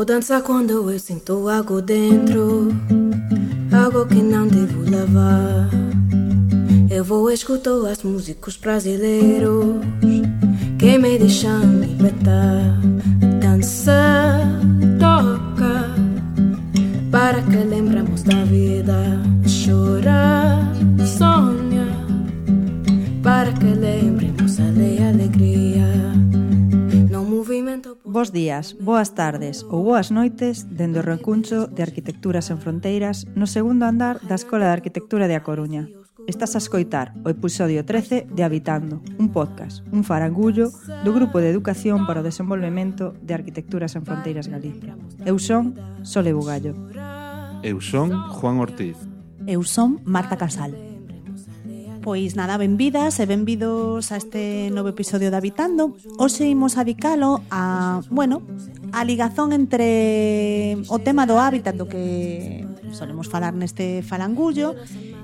Vou dançar quando eu sinto algo dentro, algo que não devo levar. Eu vou escutar os músicos brasileiros que me deixam libertar. Dança, toca, para que lembremos da vida. Chora, sonha, para que lembremos a alegria. No movimento. Bos días, boas tardes ou boas noites dende o Recuncho de Arquitecturas Sen Fronteiras no segundo andar da Escola de Arquitectura de A Coruña. Estás a escoitar o episodio 13 de Habitando, un podcast, un farangullo do Grupo de Educación para o Desenvolvemento de Arquitecturas Sen Fronteiras Galicia. Eu son Sole Bugallo. Eu son Juan Ortiz. Eu son Marta Casal. Pois nada, benvidas e benvidos a este novo episodio de Habitando. Hoxe imos adicalo a ligazón entre o tema do hábitat do que solemos falar neste farangullo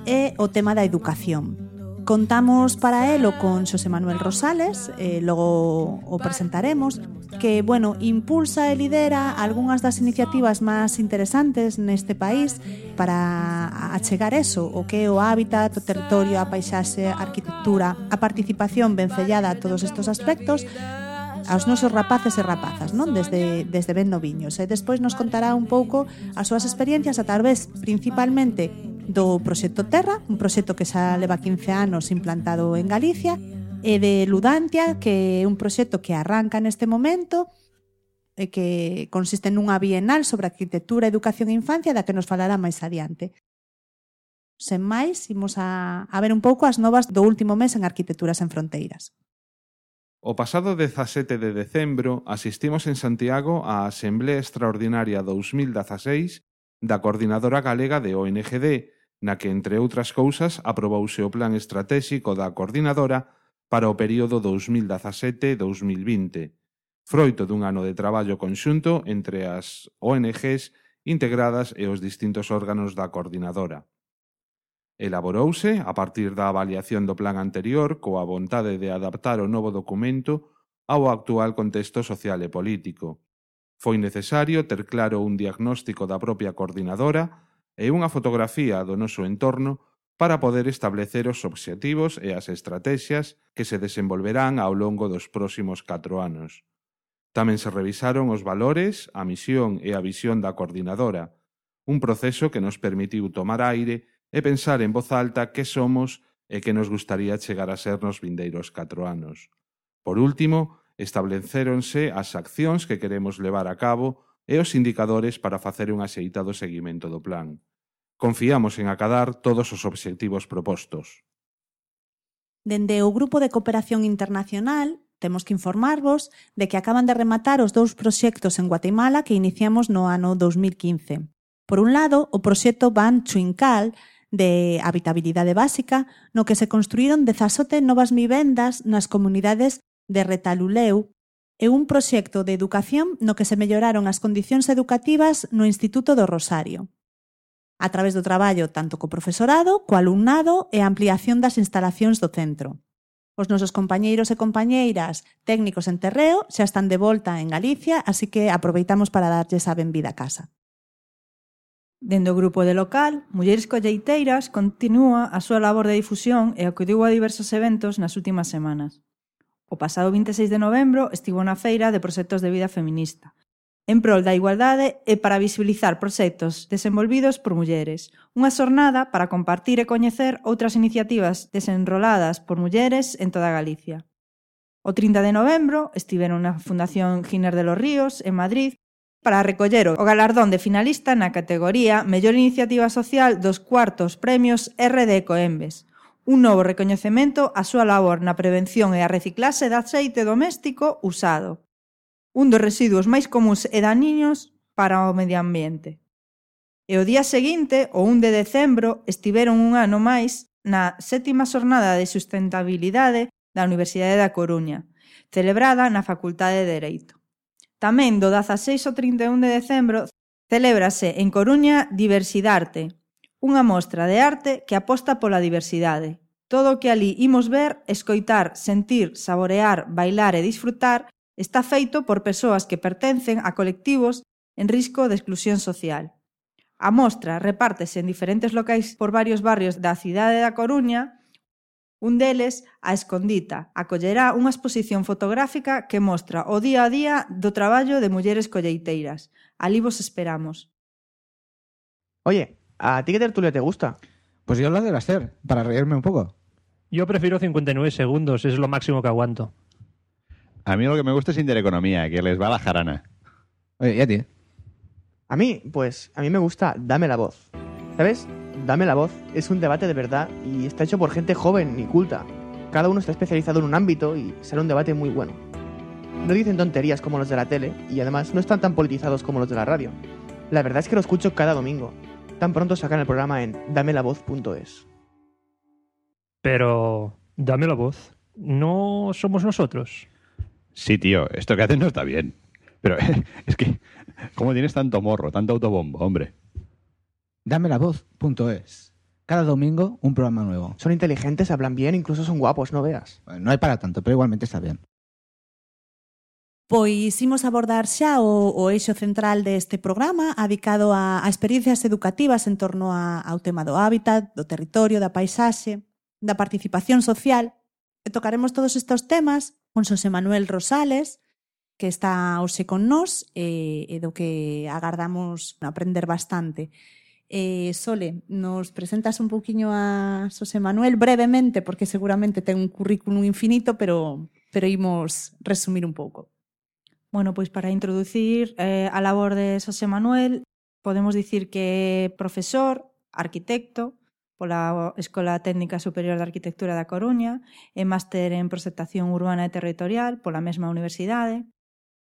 e o tema da educación. Contamos para elo con Xosé Manuel Rosales, logo o presentaremos, que, impulsa e lidera algunhas das iniciativas máis interesantes neste país para achegar eso, o que é o hábitat, o territorio, a paisaxe, a arquitectura, a participación vencellada a todos estes aspectos aos nosos rapaces e rapazas, non? Desde ben noviños. E despois nos contará un pouco as súas experiencias a través, principalmente, do proxecto Terra, un proxecto que xa leva 15 anos implantado en Galicia, e de Ludantia, que é un proxecto que arranca neste momento e que consiste nunha bienal sobre arquitectura, educación e infancia da que nos falará máis adiante. Sen máis, imos a ver un pouco as novas do último mes en Arquitecturas Sen Fronteiras. O pasado 17 de decembro asistimos en Santiago á Asemblea Extraordinaria 2016 da Coordinadora Galega de ONGD, na que, entre outras cousas, aprobouse o Plan Estratéxico da Coordinadora para o período 2017-2020, froito dun ano de traballo conxunto entre as ONGs integradas e os distintos órganos da Coordinadora. Elaborouse, a partir da avaliación do plan anterior, coa vontade de adaptar o novo documento ao actual contexto social e político. Foi necesario ter claro un diagnóstico da propia coordinadora e unha fotografía do noso entorno para poder establecer os obxectivos e as estratexias que se desenvolverán ao longo dos próximos 4 anos. Tamén se revisaron os valores, a misión e a visión da coordinadora, un proceso que nos permitiu tomar aire e pensar en voz alta que somos e que nos gustaría chegar a ser nos vindeiros 4 anos. Por último, establecéronse as accións que queremos levar a cabo e os indicadores para facer un axeitado seguimento do plan. Confiamos en acadar todos os obxectivos propostos. Dende o Grupo de Cooperación Internacional, temos que informarvos de que acaban de rematar os 2 proxectos en Guatemala que iniciamos no ano 2015. Por un lado, o proxecto Ban Chuincal, de habitabilidade básica, no que se construíron 17 novas vivendas nas comunidades de Retaluleu, e un proxecto de educación no que se melloraron as condicións educativas no Instituto do Rosario, a través do traballo tanto co profesorado, co alumnado e a ampliación das instalacións do centro. Os nosos compañeiros e compañeiras técnicos en terreo xa están de volta en Galicia, así que aproveitamos para darlles a benvida a casa. Dende o grupo de local, Mulleres Colleiteiras continúa a súa labor de difusión e acudiu a diversos eventos nas últimas semanas. O pasado 26 de novembro estivo na Feira de Proxectos de Vida Feminista, en prol da igualdade e para visibilizar proxectos desenvolvidos por mulleres, unha xornada para compartir e coñecer outras iniciativas desenroladas por mulleres en toda Galicia. O 30 de novembro estiveron na Fundación Giner de los Ríos, en Madrid, para recoller o galardón de finalista na categoría Mellor Iniciativa Social dos cuartos premios RD Coembes, un novo recoñecemento á súa labor na prevención e a reciclaxe de aceite doméstico usado, un dos residuos máis comuns e daniños para o medio ambiente. E o día seguinte, o 1 de decembro, estiveron un ano máis na 7ª xornada de sustentabilidade da Universidade da Coruña, celebrada na Facultade de Dereito. Tamén do 16 ao 31 de decembro celébrase en Coruña Diversidarte, unha mostra de arte que aposta pola diversidade. Todo o que ali imos ver, escoitar, sentir, saborear, bailar e disfrutar está feito por persoas que pertencen a colectivos en risco de exclusión social. A mostra repártese en diferentes locais por varios barrios da cidade da Coruña. Un deles, a Escondita, acollerá unha exposición fotográfica que mostra o día a día do traballo de mulleres colleiteiras. Alí vos esperamos. Oye, ¿a ti qué tertulia te gusta? Pues yo la de hacer, para reírme un poco. Yo prefiero 59 segundos, es lo máximo que aguanto. A mí lo que me gusta es Intereconomía, que les va la jarana. Oye, ¿y a ti? A mí, pues, a mí me gusta Dame la Voz. ¿Sabes? Dame la Voz es un debate de verdad y está hecho por gente joven y culta. Cada uno está especializado en un ámbito y sale un debate muy bueno. No dicen tonterías como los de la tele y además no están tan politizados como los de la radio. La verdad es que lo escucho cada domingo. Tan pronto sacan el programa en damelavoz.es. Pero, dame la voz. ¿No somos nosotros? Sí, tío, esto que hacen no está bien. Pero es que, ¿cómo tienes tanto morro, tanto autobombo, hombre? Damelavoz.es. Cada domingo un programa nuevo. Son inteligentes, hablan bien, incluso son guapos, no veas. No hay para tanto, pero igualmente está bien. Pois imos abordar xa o eixo central deste programa adicado a experiencias educativas en torno ao tema do hábitat, do territorio, da paisaxe, da participación social. E tocaremos todos estes temas con Xosé Manuel Rosales, que está hoxe con nós e do que agardamos aprender bastante. Sole, nos presentas un pouquiño a Xosé Manuel brevemente, porque seguramente ten un currículum infinito, pero imos resumir un pouco. Bueno, pois para introducir a labor de Xosé Manuel, podemos dicir que é profesor, arquitecto, pola Escola Técnica Superior de Arquitectura da Coruña, e máster en Proxectación Urbana e Territorial pola mesma universidade.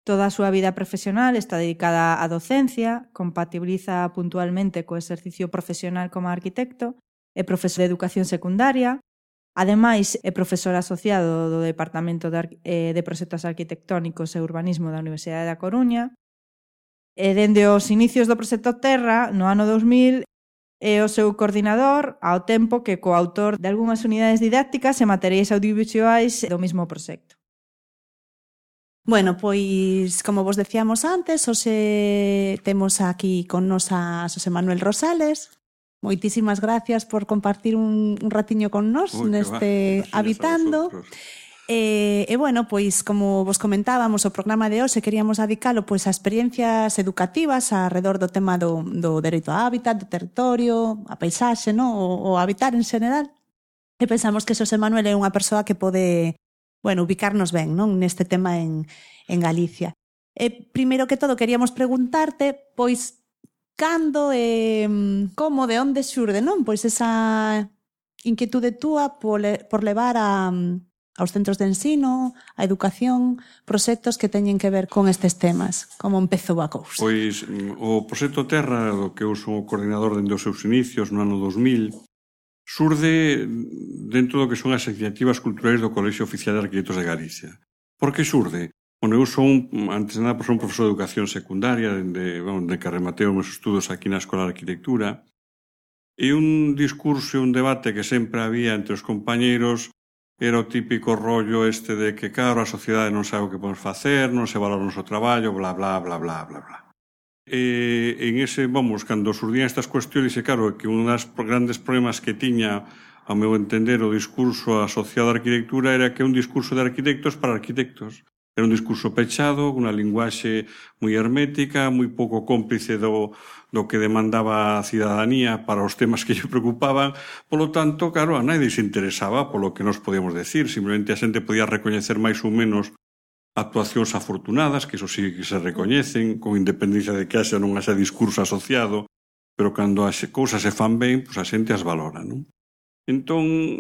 Toda a súa vida profesional está dedicada á docencia, compatibiliza puntualmente co exercicio profesional como arquitecto, é profesor de educación secundaria. Ademais, é profesor asociado do Departamento de Proxectos Arquitectónicos e Urbanismo da Universidade da Coruña. E dende os inicios do proxecto Terra, no ano 2000, é o seu coordinador, ao tempo que coautor de algunhas unidades didácticas e materiais audiovisuais do mesmo proxecto. Bueno, pois, como vos decíamos antes, hoxe temos aquí con nos a Xosé Manuel Rosales. Moitísimas gracias por compartir un ratiño con nós neste Habitando. E bueno, pois como vos comentábamos, o programa de hoxe queríamos adicalo pois a experiencias educativas alrededor do tema do dereito á hábitat, do territorio, a paisaxe, no? o habitar en xeral. E pensamos que Xosé Manuel é unha persoa que pode, bueno, ubicarnos ben, non, neste tema en Galicia. E primeiro que todo queríamos preguntarte, pois, cando e como, de onde xurde, non? Pois esa inquietude túa por levar aos centros de ensino, a educación, proxectos que teñen que ver con estes temas. Como empezou a cousa? Pois o proxecto Terra, do que eu son o coordinador dende os seus inicios no ano 2000, xurde dentro do que son as iniciativas culturais do Colexio Oficial de Arquitectos de Galicia. Por que xurde? Bueno, eu son, antes de nada, un profesor de educación secundaria, de que rematei os meus estudos aquí na Escola de Arquitectura, e un discurso e un debate que sempre había entre os compañeiros era o típico rollo este de que, claro, a sociedade non sabe o que podemos facer, non se valora o noso traballo, bla, bla, bla, bla, bla, bla. E en ese, vamos, cando xurdían estas cuestiones, e claro, que un dos grandes problemas que tiña, ao meu entender, o discurso asociado á arquitectura era que é un discurso de arquitectos para arquitectos. Era un discurso pechado, unha linguaxe moi hermética, moi pouco cómplice do que demandaba a cidadanía para os temas que lle preocupaban. Polo tanto, claro, a nadie se interesaba polo que nos podíamos decir. Simplemente a xente podía recoñecer máis ou menos actuacións afortunadas, que iso sí que se recoñecen, con independencia de que haxa non haxa discurso asociado, pero cando as cousas se fan ben, pois a xente as valora, non? Entón,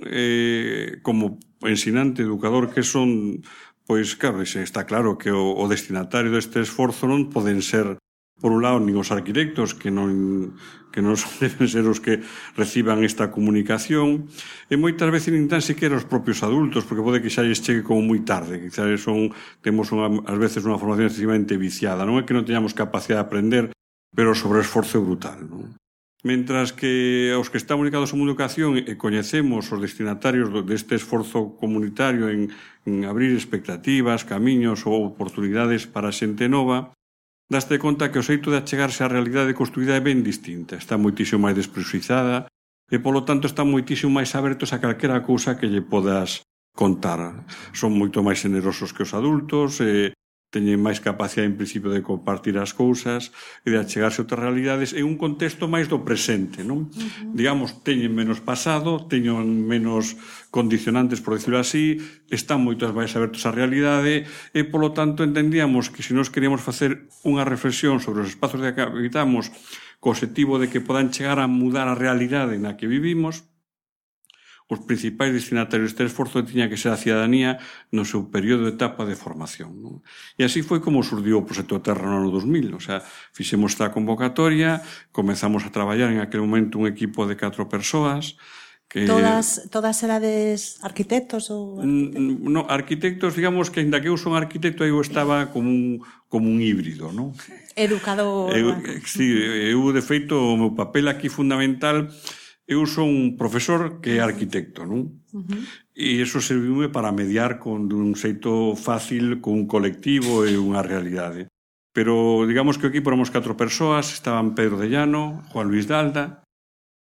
como ensinante, educador que son, pois, claro, está claro que o destinatario deste esforzo non poden ser, por un lado, nin os arquitectos, que non deben ser os que reciban esta comunicación, e moitas veces nin tan siquiera os propios adultos, porque pode que xa lles chegue como moi tarde, quizás temos ás veces unha formación excesivamente viciada. Non é que non teñamos capacidade de aprender, pero o sobreesforzo é brutal, non? Mentras que aos que estamos dedicados á educación e coñecemos os destinatarios deste esforzo comunitario en abrir expectativas, camiños ou oportunidades para a xente nova, daste conta que o xeito de achegarse á realidade construída é ben distinta, está moitísimo máis desprexuizada e, polo tanto, están moitísimo máis abertos a calquera cousa que lle podas contar. Son moito máis generosos que os adultos, teñen máis capacidade en principio de compartir as cousas e de achegarse a outras realidades en un contexto máis do presente, non? Digamos, teñen menos pasado, teñen menos condicionantes, por decirlo así, están moito máis abertos á realidade e, polo tanto, entendíamos que se nós queríamos facer unha reflexión sobre os espazos de que habitamos co objetivo de que podan chegar a mudar a realidade na que vivimos, os principais destinatarios deste esforzo tiña que ser a cidadanía no seu período de etapa de formación. Non? E así foi como surdiu o Proxecto Terra no ano 2000. O sea, fixemos esta convocatoria, comenzamos a traballar en aquel momento un equipo de 4 persoas. Que... Todas erades arquitectos ou arquitectos? No, arquitectos, digamos que, ainda que eu son arquitecto, eu estaba como un híbrido, non? Educador. Sí, eu, de feito, o meu papel aquí fundamental... Eu son un profesor que é arquitecto, non? E iso serviume para mediar con un xeito fácil con un colectivo e unha realidade. Pero, digamos que o equipo éramos 4 persoas, estaban Pedro de Llano, Juan Luis Dalda,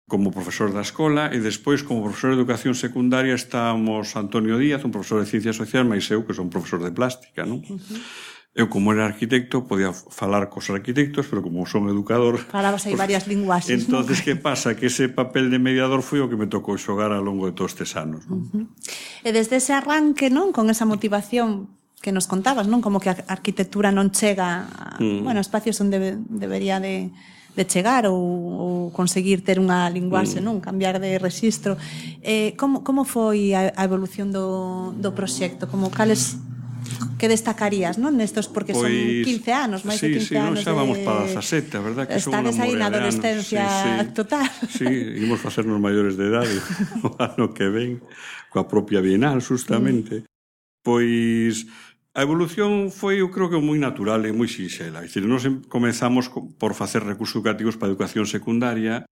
como profesor da escola, e despois, como profesor de educación secundaria, estábamos Antonio Díaz, un profesor de ciencias sociais, máis eu, que son profesor de plástica, non? Eu, como era arquitecto, podía falar cos arquitectos, pero como son educador... Falabas aí varias linguaxes, entonces, que pasa? Que ese papel de mediador foi o que me tocou xogar ao longo de todos estes anos, non? E desde ese arranque, non? Con esa motivación que nos contabas, non? Como que a arquitectura non chega a espacios onde debería de chegar ou conseguir ter unha linguaxe, non? Cambiar de rexistro. Como foi a evolución do proxecto? Como cales... que destacarías, non? Nestos, porque son 15 anos, máis de 15 anos. Sí, xa vamos para 17, a verdad que son unha estades aí na adolescencia total. Sí, imos facernos maiores de idade o ano que ven, coa propia Bienal, justamente. Pois a evolución foi, eu creo que moi natural e moi sinxela. É dicir, nos comenzamos por facer recursos educativos para a educación secundaria,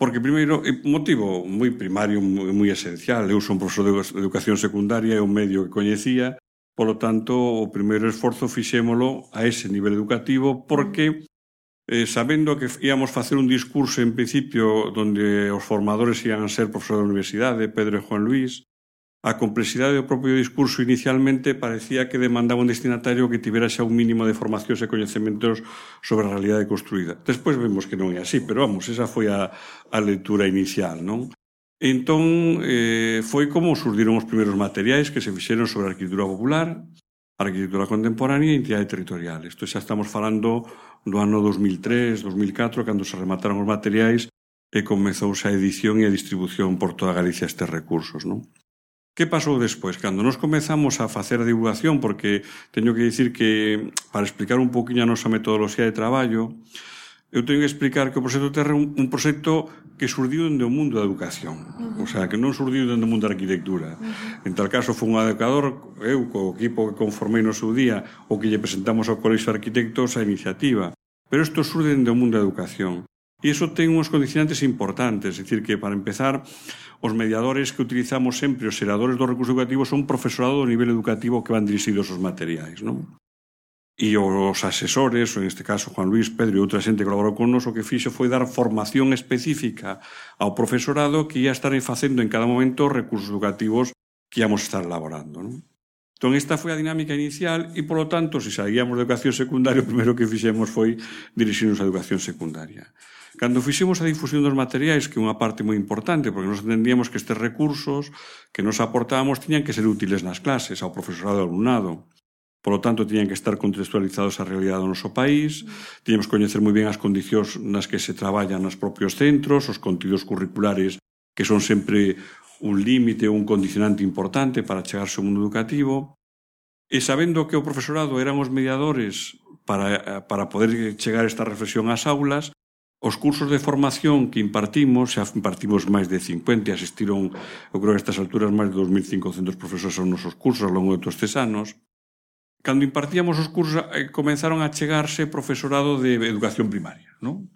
porque, primeiro, un motivo moi primario, moi esencial. Eu son profesor de educación secundaria, é un medio que coñecía. Polo tanto, o primeiro esforzo fixémolo a ese nivel educativo porque, sabendo que íamos facer un discurso en principio onde os formadores iban a ser profesores da universidade, Pedro e Juan Luis, a complexidade do propio discurso inicialmente parecía que demandaba un destinatario que tivera xa un mínimo de formacións e coñecementos sobre a realidade construída. Despois vemos que non é así, pero vamos, esa foi a lectura inicial, non? Entón, foi como surdiron os primeiros materiais que se fixeron sobre a arquitectura popular, a arquitectura contemporánea e a entidade territorial. Isto xa estamos falando do ano 2003, 2004, cando se remataron os materiais e comezouse a edición e a distribución por toda Galicia estes recursos, non? Que pasou despois? Cando nos comezamos a facer a divulgación, porque teño que dicir que, para explicar un poquinho a nosa metodoloxía de traballo, eu teño que explicar que o Proxecto Terra é un proxecto que surdiu dende o mundo da educación. O sea, que non surdiu dende o mundo da arquitectura. En tal caso, foi un educador, eu, co equipo que conformei no seu día, o que lle presentamos ao Colexio de Arquitectos a iniciativa. Pero isto surde dende o mundo da educación. E iso ten uns condicionantes importantes. É dicir, que, para empezar, os mediadores que utilizamos sempre, os xeradores dos recursos educativos, son profesorado do nivel educativo que van dirixidos os materiais, non? E os asesores, ou en este caso Juan Luis, Pedro e outra xente que colaborou con nos, o que fixo foi dar formación específica ao profesorado que ia estar facendo en cada momento recursos educativos que íamos estar elaborando, non? Entón, esta foi a dinámica inicial e, polo tanto, se saíamos de educación secundaria, o primeiro que fixemos foi dirixirnos a educación secundaria. Cando fixemos a difusión dos materiais, que é unha parte moi importante, porque nos entendíamos que estes recursos que nos aportábamos tiñan que ser útiles nas clases, ao profesorado e ao alumnado. Por lo tanto, tiñan que estar contextualizados á realidade do noso país, tiñamos que coñecer moi ben as condicións nas que se traballan nos propios centros, os contidos curriculares, que son sempre un límite ou un condicionante importante para chegarse ao mundo educativo, e sabendo que o profesorado eran os mediadores para poder chegar esta reflexión ás aulas, os cursos de formación que impartimos, xa impartimos máis de 50, asistiron, eu creo que a estas alturas, máis de 2.500 profesores aos nosos cursos ao longo de todos estes anos. Cando impartíamos os cursos, comenzaron a chegarse profesorado de educación primaria, non?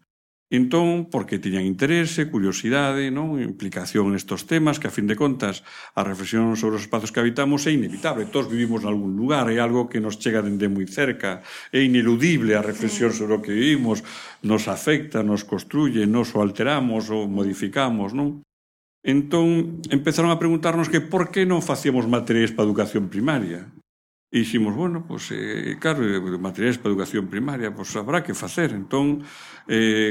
Entón, porque tiñan interese, curiosidade, non? Implicación nestes temas, que a fin de contas a reflexión sobre os espazos que habitamos é inevitable. Todos vivimos en algún lugar, é algo que nos chega dende moi cerca, é ineludible a reflexión sobre o que vivimos, nos afecta, nos construye, nos o alteramos ou modificamos, non? Entón, empezaron a preguntarnos que por que non facíamos materiais para a educación primaria. E diximos, bueno, pois, claro, materiais para a educación primaria, pois habrá que facer. Entón,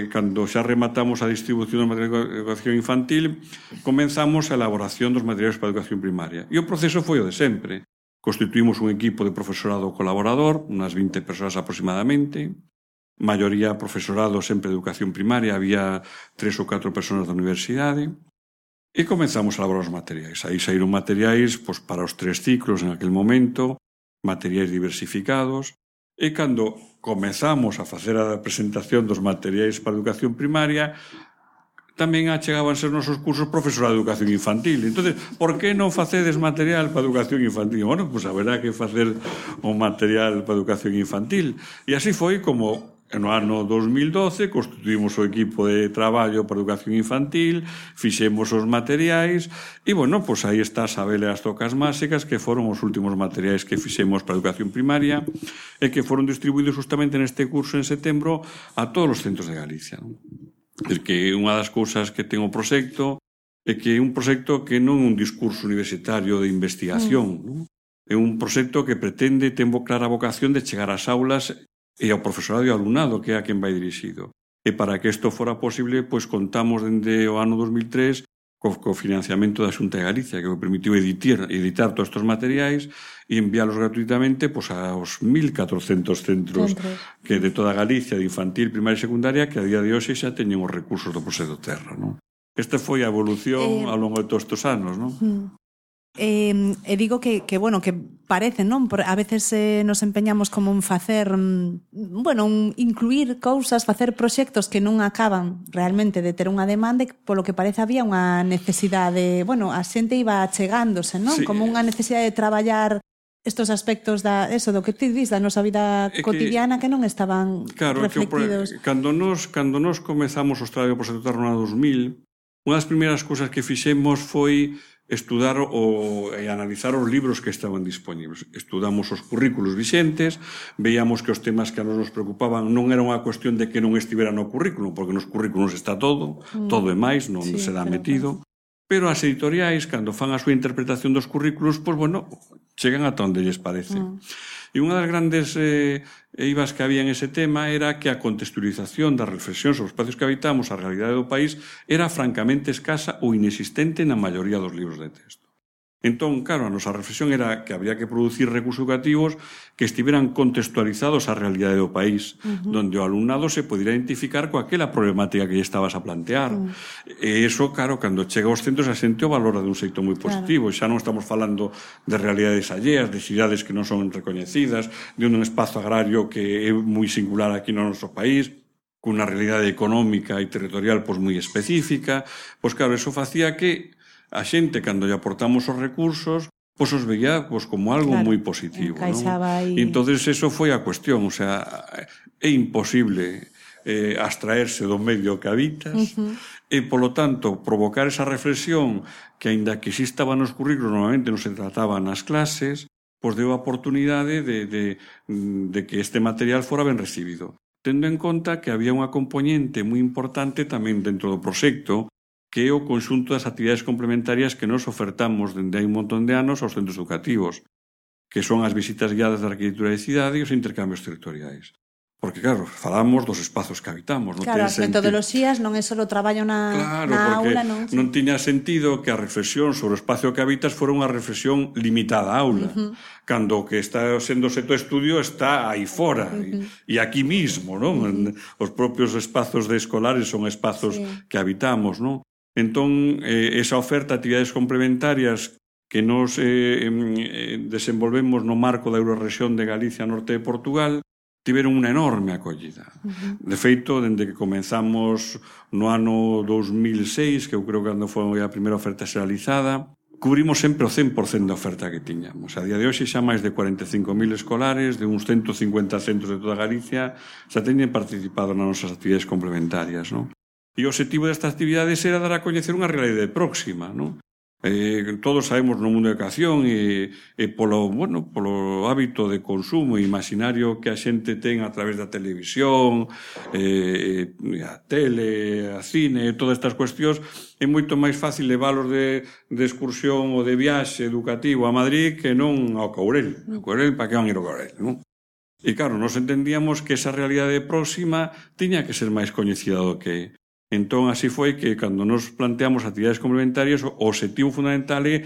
cando xa rematamos a distribución dos materiais de educación infantil, comenzamos a elaboración dos materiais para a educación primaria. E o proceso foi o de sempre. Constituímos un equipo de profesorado colaborador, unas 20 persoas aproximadamente, maioría profesorado sempre de educación primaria, había 3 ou 4 persoas da universidade, e comenzamos a elaborar os materiais. Aí saíron materiais pois, para os 3 ciclos en aquel momento, materiais diversificados, e cando comezamos a facer a presentación dos materiais para a educación primaria, tamén achegábanse os nosos cursos profesorado de educación infantil. Entón, por que non facedes material para a educación infantil? Bueno, pois haberá que facer un material para a educación infantil. E así foi como no ano 2012 constituímos o equipo de traballo para a educación infantil, fixemos os materiais e, bueno, pois aí está Sabel e as tocas máxicas, que foron os últimos materiais que fixemos para a educación primaria e que foron distribuídos justamente neste curso en setembro a todos os centros de Galicia. É que unha das cousas que ten o proxecto é que é un proxecto que non é un discurso universitario de investigación, non? É un proxecto que pretende, ten clara vocación de chegar ás aulas e ao profesorado e ao alumnado, que é a quen vai dirixido. E para que isto fora posible, pois contamos dende o ano 2003 co financiamento da Xunta de Galicia, que me permitiu editar todos estes materiais e enviálos gratuitamente pois, aos 1.400 centros que de toda Galicia, de infantil, primaria e secundaria, que a día de hoxe xa teñen os recursos do Proxecto Terra. Non? Esta foi a evolución ao longo de todos estes anos. Non? E digo que bueno, que parece, non? A veces nos empeñamos como en facer, bueno, incluir cousas, facer proxectos que non acaban realmente de ter unha demanda e polo que parece había unha necesidade, bueno, a xente iba achegándose, non? Sí. Como unha necesidade de traballar estos aspectos eso do que ti dis da nosa vida cotidiana que non estaban reflectidos. Cando nos comezamos os traballos do Proxecto Terra no 2000, unha das primeiras cousas que fixemos foi estudar e analizar os libros que estaban dispoñibles. Estudamos os currículos vixentes, veíamos que os temas que a nos preocupaban non era unha cuestión de que non estivera no currículo, porque nos currículos está todo e máis, non se dá metido. Pero as editoriais, cando fan a súa interpretación dos currículos, pois, bueno, chegan ata onde lles parece. E unha das grandes eivas que había en ese tema era que a contextualización da reflexión sobre os espacios que habitamos, a realidade do país, era francamente escasa ou inexistente na maioría dos libros de texto. Entón, claro, a nosa reflexión era que había que producir recursos educativos que estiveran contextualizados á realidade do país, donde o alumnado se podera identificar coa aquela problemática que lle estabas a plantear. E iso, claro, cando chega aos centros a xente o valora de un xeito moi positivo. Xa non estamos falando de realidades alleas, de cidades que non son recoñecidas, de un espazo agrario que é moi singular aquí no noso país, cunha realidade económica e territorial pois moi específica. Pois claro, eso facía que a xente, cando lle aportamos os recursos, pois os veía pois, como algo moi positivo. E entonces eso foi a cuestión, o sea, é imposible abstraerse do medio que habitas e, polo tanto, provocar esa reflexión que, aínda que existaba nos currículos, normalmente non se trataba nas clases, pois deu a oportunidade de que este material fora ben recibido. Tendo en conta que había unha componente moi importante tamén dentro do proxecto, que é o conxunto das actividades complementarias que nos ofertamos dende hai un montón de anos aos centros educativos, que son as visitas guiadas da arquitectura de cidade e os intercambios territoriais. Porque, claro, falamos dos espazos que habitamos. Claro, as metodoloxías non é só o traballo na aula, non? Non tiña sentido que a reflexión sobre o espacio que habitas fora unha reflexión limitada á aula. Cando o que está sendo o estudio está aí fora e aquí mismo, non? Os propios espazos de escolares son espazos que habitamos, non? Entón, esa oferta de actividades complementarias que nos desenvolvemos no marco da Eurorrexión de Galicia, norte de Portugal, tiveron unha enorme acollida. De feito, dende que comenzamos no ano 2006, que eu creo que cando foi a primeira oferta xeralizada, cubrimos sempre o 100% da oferta que tiñamos. A día de hoxe xa máis de 45.000 escolares de uns 150 centros de toda Galicia xa teñen participado nas nosas actividades complementarias, non? E o objetivo destas actividades era dar a coñecer unha realidade próxima, non? Todos sabemos no mundo da educación e polo hábito de consumo e imaginario que a xente ten a través da televisión, a tele, a cine, todas estas cuestións, é moito máis fácil leválos de excursión ou de viaxe educativo a Madrid que non ao Courel. O Courel, para que van ir ao Courel, non? E claro, nos entendíamos que esa realidade próxima tiña que ser máis coñecida do que entón, así foi que, cando nos planteamos actividades complementarias, o objetivo fundamental é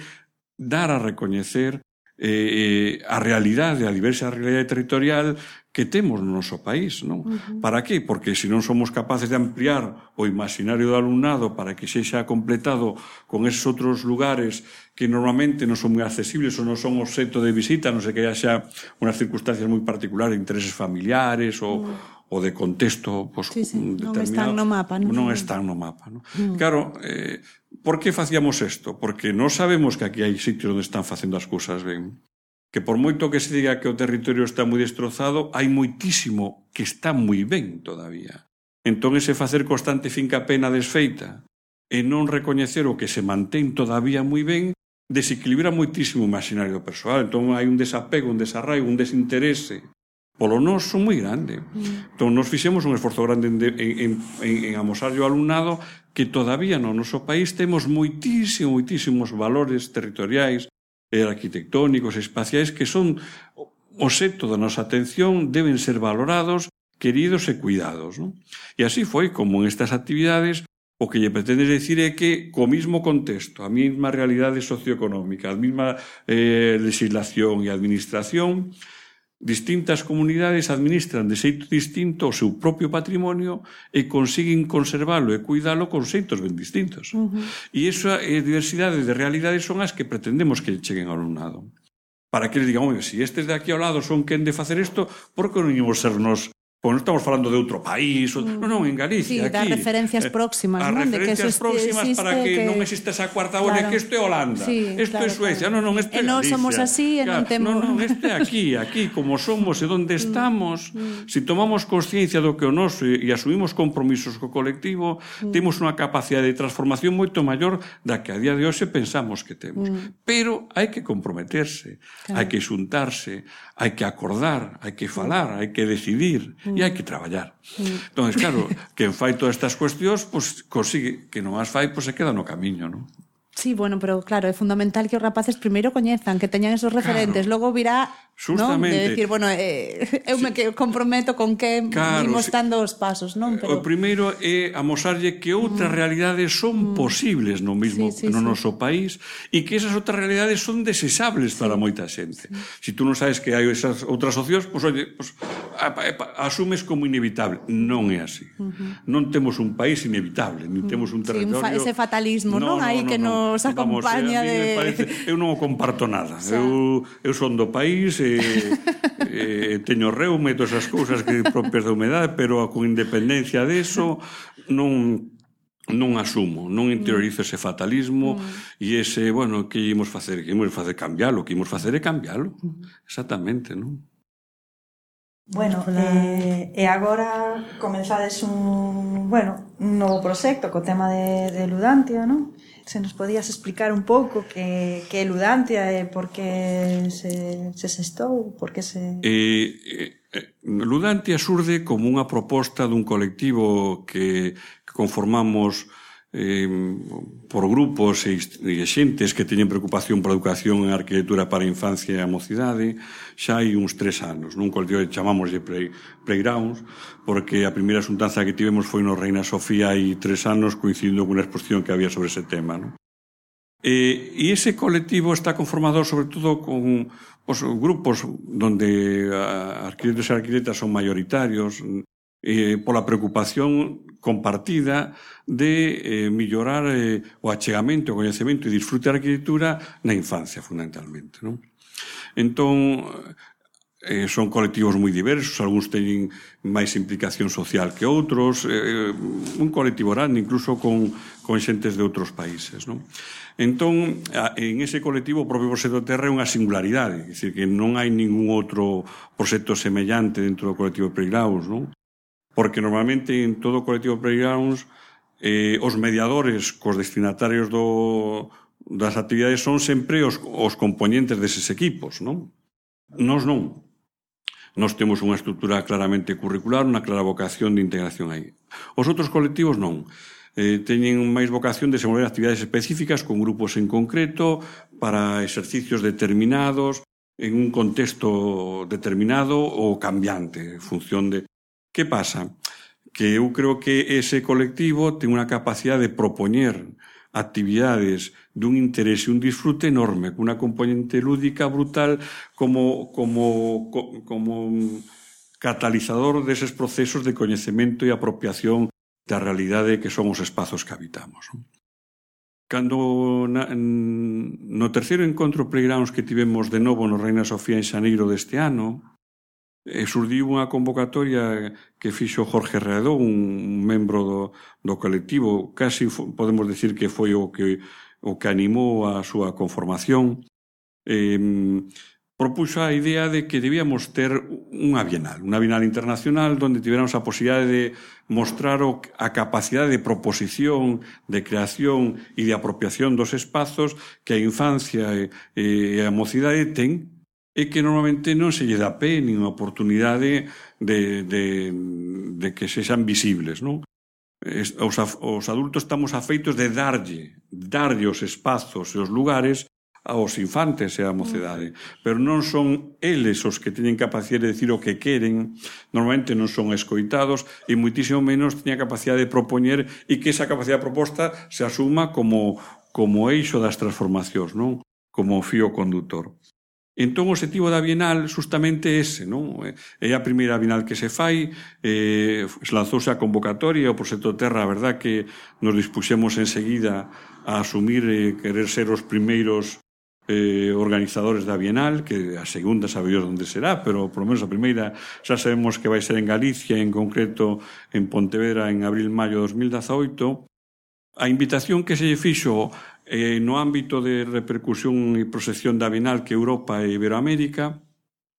dar a recoñecer a realidade, a diversa realidade territorial que temos no noso país, non? Para qué? Porque se non somos capaces de ampliar o imaginario do alumnado para que sexa completado con esos outros lugares que normalmente non son moi accesibles ou non son obxecto de visita, non sei que haxa unhas circunstancias moi particulares, intereses familiares ou de contexto non están no mapa, non están no mapa, non? Claro, por que facíamos isto? Porque non sabemos que aquí hai sitios onde están facendo as cousas ben, que por moito que se diga que o territorio está moi destrozado, hai moitísimo que está moi ben todavía. Entón, ese facer constante fincapé na desfeita e non recoñecer o que se mantén todavía moi ben desequilibra moitísimo o imaginario persoal. Entón, hai un desapego, un desarraigo, un desinterese polo noso moi grande. Entón, nos fixemos un esforzo grande en amosarlle ao alumnado que todavía no noso país temos moitísimos valores territoriais e arquitectónicos e espaciais que son obxecto da nosa atención, deben ser valorados, queridos e cuidados, non? E así foi como en estas actividades o que lle pretende decir é que co mismo contexto, a mesma realidade socioeconómica, a mesma legislación e administración, distintas comunidades administran de xeito distinto o seu propio patrimonio e consiguen conservalo e cuidalo con xeitos ben distintos. E esa diversidade de realidades son as que pretendemos que cheguen ao alumnado. Para que les digan, se estes de aquí ao lado son quen de facer isto, por que non íamos sernos... Pois non estamos falando de outro país, non, en Galicia, aquí. Sí, das referencias próximas, non? As referencias próximas para que non existe esa cuarta ola, que isto é Holanda, isto é Suecia, non, isto é Galicia. E non somos así, e non temos... Non, isto é aquí, como somos e onde estamos, se tomamos consciencia do que o noso e asumimos compromisos co colectivo, temos unha capacidade de transformación moito maior da que a día de hoxe pensamos que temos. Pero hai que comprometerse, hai que xuntarse, hai que acordar, hai que falar, hai que decidir, e hai que traballar. Entón, claro, quen fai todas estas cuestións, pois consigue, que non as fai, pois se queda no camiño, non? Sí, bueno, pero claro, é fundamental que os rapaces primeiro coñezan, que teñan esos referentes, logo virá, non? De decir, bueno, eu me comprometo con que imos dando os pasos, non? O primeiro é amosarlle que outras realidades son posibles no noso país e que esas outras realidades son deseables para moita xente. Se tú non sabes que hai esas outras opcións, pois, oye, asumes como inevitable. Non é así. Non temos un país inevitable, ni temos un territorio... Ese fatalismo, non? Aí que nos acompaña de... Eu non o comparto nada. Eu son do país teño reume e todas as cousas que propias da humedade, pero con independencia deso non asumo, non interiorizo ese fatalismo e ese, bueno, que imos facer? Que imos facer cambiálo, que imos facer é cambiálo. Exactamente, non? Bueno, e agora comenzades un novo proxecto co tema de Ludantia, non? Se nos podías explicar un pouco que é Ludantia e por que se xestou, por que se... Ludantia surde como unha proposta dun colectivo que conformamos por grupos e xentes que teñen preocupación pola educación en arquitectura para a infancia e a mocidade xa hai uns 3 anos, nun colectivo que chamamos de Playgrounds, porque a primeira xuntanza que tivemos foi no Reina Sofía hai 3 anos, coincidindo con unha exposición que había sobre ese tema, non? E ese colectivo está conformado sobre todo con grupos donde arquitectos e arquitectas son maioritarios, pola preocupación compartida de mellorar o achegamento, o coñecemento e disfrute da arquitectura na infancia, fundamentalmente, non? Entón, son colectivos moi diversos, algúns teñen máis implicación social que outros, un colectivo grande, incluso con xentes de outros países, non? Entón, en ese colectivo o propio Proxecto Terra é unha singularidade, é dicir, que non hai ningún outro proxecto semellante dentro do colectivo Playgrounds, non? Porque normalmente en todo o colectivo Playgrounds os mediadores cos destinatarios das actividades son sempre os componentes deses equipos, non? Nós non. Nós temos unha estrutura claramente curricular, unha clara vocación de integración aí. Os outros colectivos non. Teñen máis vocación de desenvolver actividades específicas con grupos en concreto para exercicios determinados en un contexto determinado ou cambiante en función de... Que pasa? Que eu creo que ese colectivo ten unha capacidade de propoñer actividades dun interese e un disfrute enorme, con unha componente lúdica brutal como catalizador deses procesos de coñecemento e apropiación da realidade que son os espazos que habitamos. Cando no terceiro encontro Playgrounds que tivemos de novo no Reina Sofía en xaneiro deste ano, surdiu unha convocatoria que fixo Jorge Readó, un membro do colectivo, casi podemos decir que foi o que animou a súa conformación. Propuxo a idea de que debíamos ter unha bienal internacional onde tiveramos a posibilidade de mostrar a capacidade de proposición, de creación e de apropiación dos espazos que a infancia e a mocidade ten, e que normalmente non se lle dá pé nin oportunidade de que sexan visibles, non? Os adultos estamos afeitos de darlle os espazos e os lugares aos infantes e á mocedade, pero non son eles os que teñen capacidade de decir o que queren, normalmente non son escoitados e moitísimo menos teñen a capacidade de propoñer e que esa capacidade de proposta se asuma como eixo das transformacións, non? Como fío condutor. Entón, o objetivo da Bienal justamente ese, non? É a primeira Bienal que se fai, lanzouse a convocatoria, o Proxecto Terra, a verdad que nos dispuxemos enseguida a asumir e querer ser os primeiros organizadores da Bienal, que a segunda sabemos onde será, pero por lo menos a primeira xa sabemos que vai ser en Galicia, en concreto en Pontevedra en abril-maio de 2018. A invitación que se lle fixo no ámbito de repercusión e proxección da Bienal que Europa e Iberoamérica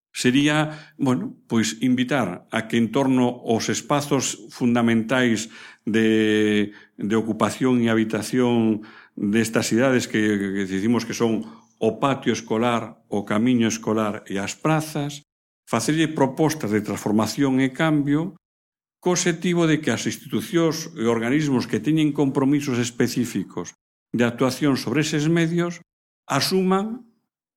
sería, bueno, pois invitar a que en torno aos espazos fundamentais de ocupación e habitación destas cidades que decimos que son o patio escolar, o camiño escolar e as prazas, facerlle propostas de transformación e cambio co objetivo de que as institucións e organismos que teñen compromisos específicos de actuación sobre eses medios asuman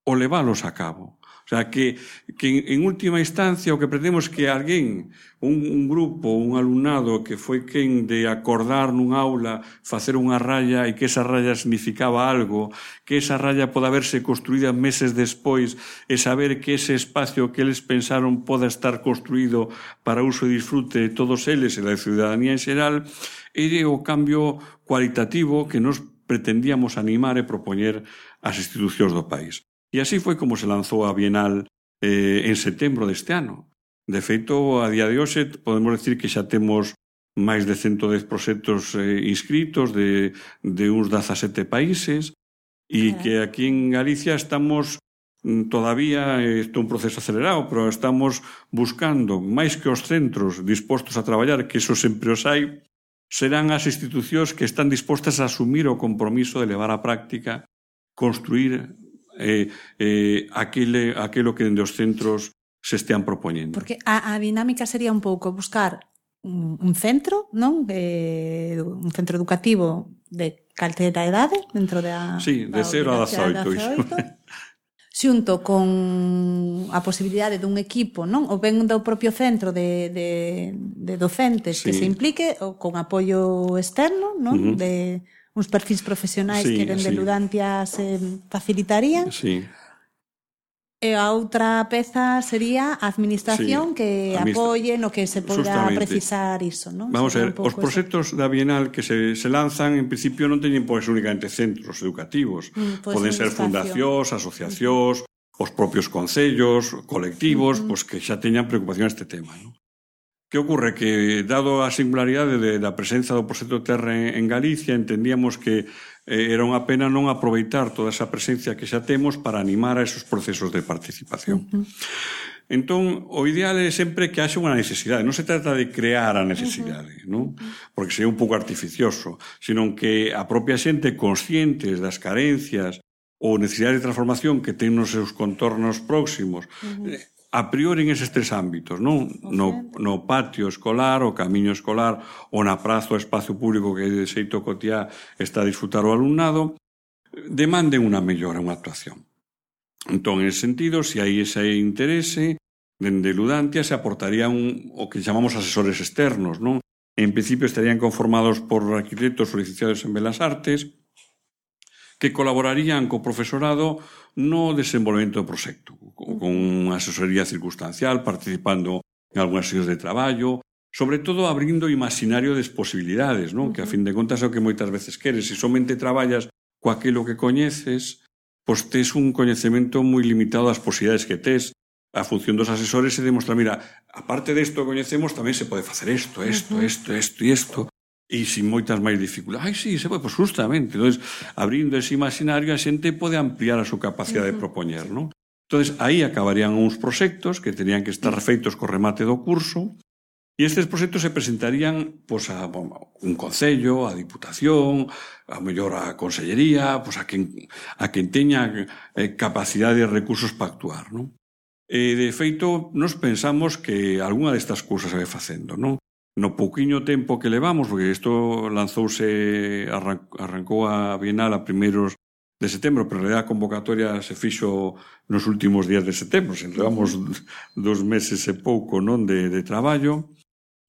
o leválos a cabo. O sea, que en última instancia o que pretendemos que alguén, un grupo, un alumnado que foi quen de acordar nun aula facer unha raya e que esa raya significaba algo, que esa raya poda verse construída meses despois e saber que ese espacio que eles pensaron poda estar construído para uso e disfrute de todos eles e da ciudadanía en xeral, é o cambio cualitativo que nos pretendíamos animar e propoñer ás institucións do país. E así foi como se lanzou a Bienal en setembro deste ano. De feito, a día de hoxe podemos decir que xa temos máis de 110 proxectos inscritos de uns 17 países e que aquí en Galicia estamos todavía, isto é un proceso acelerado, pero estamos buscando máis que os centros dispostos a traballar, que eso sempre os hai, serán as institucións que están dispostas a asumir o compromiso de levar á práctica, construir aquilo que dende os centros se estean propoñendo. Porque a dinámica sería un pouco buscar un centro, non? Un centro educativo de calquera idade dentro da... Sí, de 0 a 18. Xunto con a posibilidade dun equipo, non? Ou ben do propio centro de docentes que se implique, ou con apoio externo, non? De uns perfis profesionais que dende Ludantia se facilitarían. Sí. E a outra peza sería a administración que apoie no que se poda precisar iso, non? Vamos a ver, os proxectos da Bienal que se lanzan, en principio non teñen pois únicamente centros educativos. Poden ser fundacións, asociacións, os propios concellos, colectivos, pois que xa teñan preocupación este tema, non? Que ocorre? Que, dado a singularidade da presenza do proxecto Terra en Galicia, entendíamos que era unha pena non aproveitar toda esa presencia que xa temos para animar a esos procesos de participación. Entón, o ideal é sempre que haxa unha necesidade. Non se trata de crear a necesidade, non? Porque sería un pouco artificioso, sino que a propia xente, conscientes das carencias ou necesidades de transformación que ten nos seus contornos próximos, a priori en eses tres ámbitos, non? No patio escolar, o camiño escolar, ou na praza o espacio público que de xeito cotiá está a disfrutar o alumnado, demanden unha mellora, unha actuación. Entón, en ese sentido, se hai ese interese, dende Ludantia se aportarían o que chamamos asesores externos, non? En principio estarían conformados por arquitectos ou licenciados en Belas Artes, que colaborarían co profesorado no desenvolvemento do proxecto, con unha asesoría circunstancial, participando en algunhas sesións de traballo, sobre todo abrindo o imaginario das posibilidades, non? Que a fin de contas é o que moitas veces queres. Se somente traballas co aquilo que coñeces, pois tes un coñecemento moi limitado das posibilidades que tes. A función dos asesores é demostrar, mira, aparte desto que coñecemos, tamén se pode facer isto, e isto, e sin moitas máis dificultades. Sí, se pode, pois justamente. Entón, abrindo ese imaginario, a xente pode ampliar a súa capacidade de propoñer, non? Entón, aí acabarían uns proxectos que terían que estar feitos co remate do curso, e estes proxectos se presentarían pois, a un concello, a Diputación, a mellor a Consellería, pois, a quen teña capacidade e recursos para actuar, non? E, de feito, nos pensamos que algunha destas cousas se vai facendo, non? No pouquiño tempo que levamos, porque isto arrancou a Bienal a primeiros de setembro, pero en realidad a convocatoria se fixo nos últimos días de setembro, levamos 2 meses e pouco, non, de traballo.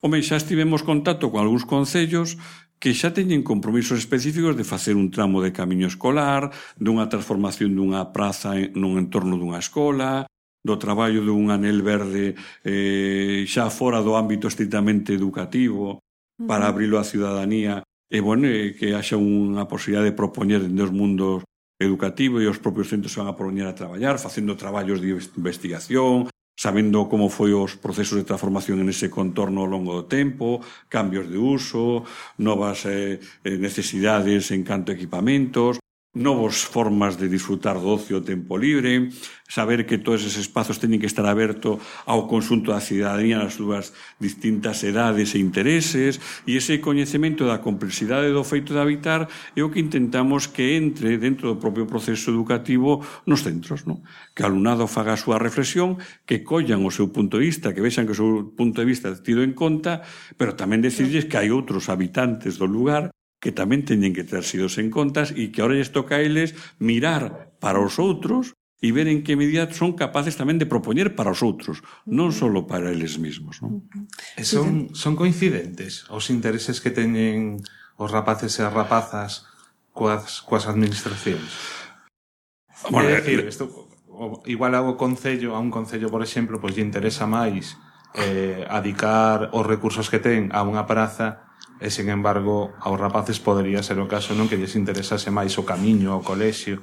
Home, xa estivemos contacto con algúns concellos que xa teñen compromisos específicos de facer un tramo de camiño escolar, dunha transformación dunha praza nun entorno dunha escola, do traballo dun anel verde xa fora do ámbito estritamente educativo para abrilo á ciudadanía e, bueno, que haxa unha posibilidade de propoñer dende os mundos educativos e os propios centros se van a propoñer a traballar, facendo traballos de investigación, sabendo como foi os procesos de transformación en ese contorno ao longo do tempo, cambios de uso, novas necesidades en canto a equipamentos, novas formas de disfrutar do ocio o tempo libre, saber que todos eses espazos teñen que estar abertos ao conxunto da cidadanía nas súas distintas edades e intereses, e ese coñecemento da complexidade do feito de habitar é o que intentamos que entre dentro do propio proceso educativo nos centros, non? Que o alumnado faga a súa reflexión, que collan o seu punto de vista, que vexan que o seu punto de vista é tido en conta, pero tamén decirles que hai outros habitantes do lugar que tamén teñen que ter sidos en contas e que ahora lles toca a eles mirar para os outros e ver en que medida son capaces tamén de propoñer para os outros, non só para eles mesmos, non? Son coincidentes os intereses que teñen os rapaces e as rapazas coas administracións? Bueno, decir, igual a un concello, por exemplo, pois lle interesa máis adicar os recursos que ten a unha praza, e, sen embargo, aos rapaces podería ser o caso non que lles interesase máis o camiño, o colexio